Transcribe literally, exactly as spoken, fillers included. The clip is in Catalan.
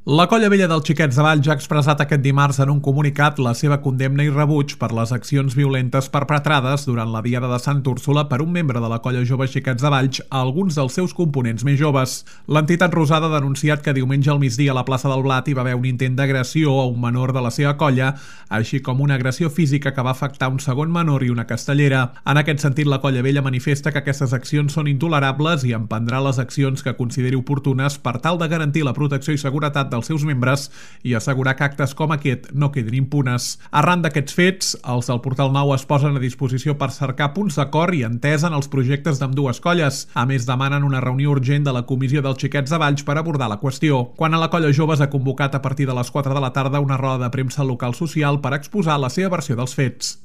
La Colla Vella dels Xiquets de Valls ha expressat aquest dimarts en un comunicat la seva condemna i rebuig per les accions violentes perpetrades durant la Diada de Sant Úrsula per un membre de la Colla Jove Xiquets de Valls a alguns dels seus components més joves. L'entitat rosada ha denunciat que diumenge al migdia a la plaça del Blat hi va haver un intent d'agressió a un menor de la seva colla, així com una agressió física que va afectar un segon menor i una castellera. En aquest sentit, la Colla Vella manifesta que aquestes accions són intolerables i emprendrà les accions que consideri oportunes per tal de garantir la protecció i seguretat dels seus membres i assegurar que actes com aquest no quedin impunes. Arran d'aquests fets, els del Portal Nou es posen a disposició per cercar punts d'acord i entesa en els projectes d'ambdues colles. A més, demanen una reunió urgent de la Comissió dels Xiquets de Valls per abordar la qüestió. Quan a la Colla Jove s'ha convocat a partir de les quatre de la tarda una roda de premsa al local social per exposar la seva versió dels fets.